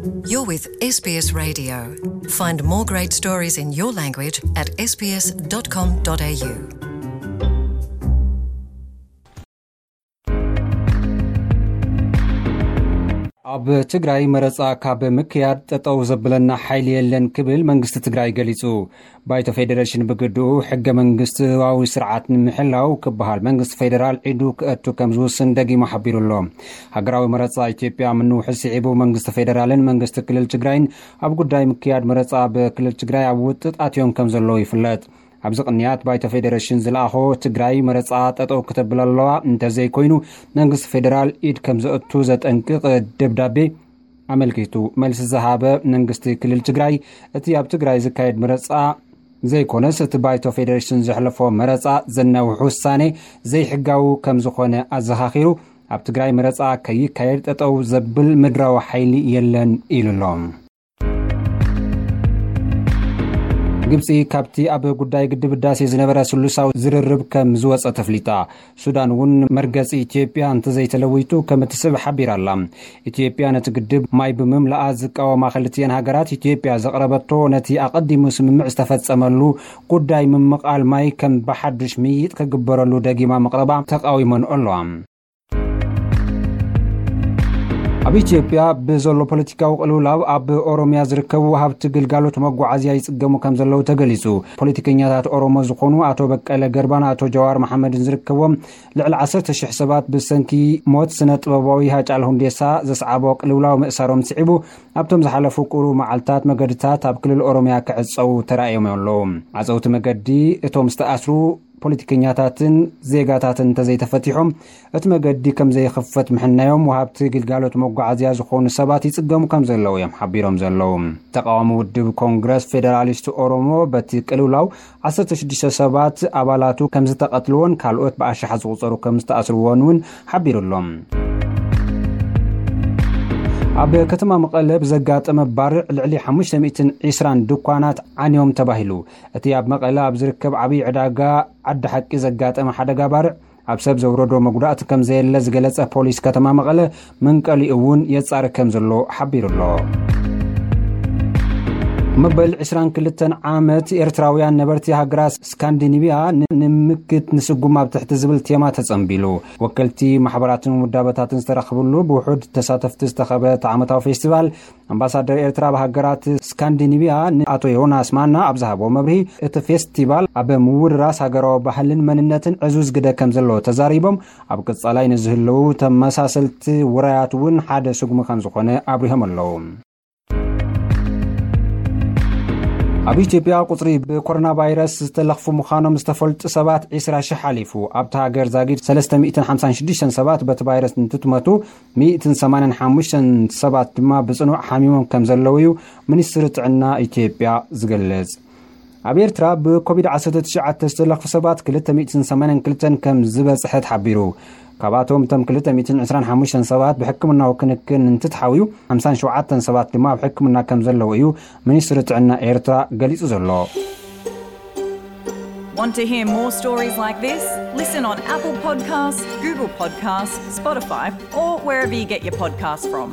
You're with S B S Radio. Find more great stories in your language at S B S dot com dot A U. ኣብ ትግራይ መረፃ ካብ ምክያድ ጠጠው ዘብለና ሓይሊ የለን ክብል መንግስቲ ትግራይ ገሊፁ። ባይቶ ፌዴሬሽን ብግድኡ ሕገ መንግስታዊ ስርዓት ንምሕላው ክበሃል መንግስቲ ፌዴራል ኢዱ ክእቱ ከም ዝውስን ደጊሙ ሓቢሩ ኣሎ። ሃገራዊ መረፃ ኢትዮጵያ ምንውሑ ስዒቡ መንግስቲ ፌዴራልን መንግስቲ ክልል ትግራይን ኣብ ጉዳይ ምክያድ መረፃ ብክልል ትግራይ ኣብ ውጥጥ ኣትዮም ከም ዘለዉ ይፍለጥ። ኣብዚ ቅንያት ባይቶ ፌዴሬሽን ዝለኣኾ ትግራይ መረፃ ጠጠው ክተብል ኣለዋ፣ እንተዘይኮይኑ መንግስቲ ፌዴራል ኢድ ከም ዘእቱ ዘጠንቅቕ ደብዳቤ ኣመልኪቱ መልሲ ዝሃበ መንግስቲ ክልል ትግራይ፣ እቲ ኣብ ትግራይ ዝካየድ መረፃ ዘይኮነስ እቲ ባይቶ ፌዴሬሽን ዘሕለፎ መረፃ ዘናውሕ ውሳኔ ዘይሕጋዊ ከም ዝኾነ ኣዘኻኺሩ፣ ኣብ ትግራይ መረፃ ከይካየድ ጠጠው ዘብል ምድራዊ ሓይሊ የለን ኢሉ ኣሎ። ግብፂ ካብቲ ኣብ ጉዳይ ግድብ ህዳሴ ዝነበረ ስሉሳዊ ዝርርብ ከም ዝወፀ ተፍሊጣ። ሱዳን እውን መርገፂ ኢትዮጵያ እንተዘይተለዊጡ ከም እትስዕብ ሓቢራ ኣላ። ኢትዮጵያ ነቲ ግድብ ማይ ብምምላኣ ዝቃወማ ክልቲኤን ሃገራት ኢትዮጵያ ዘቕረበቶ ነቲ ኣቐዲሙ ስምምዕ ዝተፈፀመሉ ጉዳይ ምምቓል ማይ ከም ብሓዱሽ ምይይጥ ክግበረሉ ደጊማ ምቕረባ ተቓዊመንኦ ኣለዋ። ኣብ ኢትዮጵያ ብዘሎ ፖለቲካዊ ቅልውላው ኣብ ኦሮሚያ ዝርከቡ ወሃብቲ ግልጋሎት መጓዓዝያ ይጽገሙ ከም ዘለዉ ተገሊጹ። ፖለቲከኛታት ኦሮሞ ዝኾኑ ኣቶ በቀለ ገርባን ኣቶ ጀዋር መሓመድን ዝርከብዎም ልዕሊ ዓሰርተ ሽሕ ሰባት ብሰንኪ ሞት ስነ ጥበባዊ ሃጫሉ ሁንዴሳ ዘስዓቦ ቅልውላው ምእሳሮም ስዒቡ ኣብቶም ዝሓለፉ ቁሩብ መዓልታት መገድታት ኣብ ክልል ኦሮሚያ ክዕጸዉ ተራእዮም ኣለዉ። ዓጸውቲ መገዲ እቶም ዝተኣስሩ ፖለቲከኛታትን ዜጋታትን እንተዘይተፈቲሖም እቲ መገዲ ከም ዘይኽፈት ምሕናዮም ወሃብቲ ግልጋሎት መጓዓዝያ ዝኾኑ ሰባት ይጽገሙ ከም ዘለዉ እዮም ሓቢሮም ዘለዉ። ተቃዋሚ ውድብ ኮንግረስ ፌደራሊስት ኦሮሞ በቲ ቅልውላው ዓሰርተ ሽዱሽተ ሰባት ኣባላቱ ከም ዝተቐትልዎን ካልኦት ብኣሽሓት ዝቑጸሩ ከም ዝተኣስርዎን እውን ሓቢሩ ኣሎ። ኣብ ከተማ መቐለ ብዘጋጠመ ባርዕ ልዕሊ ሓሙሽተ ሚእትን ዕስራን ድኳናት ዓንዮም ተባሂሉ። እቲ ኣብ መቐለ ኣብ ዝርከብ ዓብዪ ዕዳጋ ዓዲ ሓቂ ዘጋጠመ ሓደጋ ባርዕ ኣብ ሰብ ዘውረዶ መጉዳእቲ ከም ዘየለ ዝገለጸ ፖሊስ ከተማ መቐለ መንቀሊኡ እውን የጻሪ ከም ዘሎ ሓቢሩ ኣሎ። መበል ዕስራን ክልተን ዓመት ኤርትራውያን ነበርቲ ሃገራት ስካንዲኒብያ ን-፣ ንምክት ንስጉም ኣብ ትሕቲ ዝብል ቴማ ተጸንቢሉ። ወከልቲ ማሕበራትን ውዳበታትን ዝተረኽብሉ ብውሑድ ተሳተፍቲ ዝተኸበ እቲ ዓመታዊ ፌስቲቫል ኣምባሳደር ኤርትራ ኣብ ሃገራት ስካንዲኒብያ ንኣቶ ዮናስ ማና ኣብ ዝሃቦ መብርሂ፣ እቲ ፌስቲቫል ኣብ ምውርራስ ሃገራዊ ባህልን መንነትን ዕዙዝ ግደ ከም ዘለዎ ተዛሪቦም፣ ኣብ ቀጻላይ ንዝህልዉ ተመሳሰልቲ ውራያት እውን ሓደ ስጉሚ ከም ዝኾነ ኣብሪሆም ኣለዉ። ኣብ ኢትዮጵያ ቁጽሪ ብኮሮና ቫይረስ ዝተለኽፉ ምዃኖም ዝተፈልጡ ሰባት ዕስራ ሽሕ ሓሊፉ። ኣብታ ሃገር ዛጊድ ሰለስተ ሚእትን ሓምሳን ሽዱሽተን ሰባት በቲ ቫይረስ እንትትመቱ፣ ሚእትን ሰማንያን ሓሙሽተን ሰባት ድማ ብጽኑዕ ሓሚሞም ከም ዘለዉ እዩ ሚኒስትሪ ጥዕና ኢትዮጵያ ዝገልጽ። ኣብ ኤርትራ ብኮቪድ ዓሰርተ ትሽዓተ ዝተለኽፉ ሰባት ክልተ ሚእትን ሰማንያን ክልተን ከም ዝበጽሐ ተሓቢሩ። ካብኣቶም እቶም ክልተ ሚእትን ዕስራን ሓሙሽተን ሰባት ብሕክምናዊ ክንክን እንትትሓውዩ፣ ሓምሳን ሸውዓተን ሰባት ድማ ኣብ ሕክምና ከም ዘለዉ እዩ ሚኒስትሪ ጥዕና ኤርትራ ገሊጹ ዘሎ። Want to hear more stories like this? Listen on Apple Podcasts, Google Podcasts, Spotify, or wherever you get your podcasts from.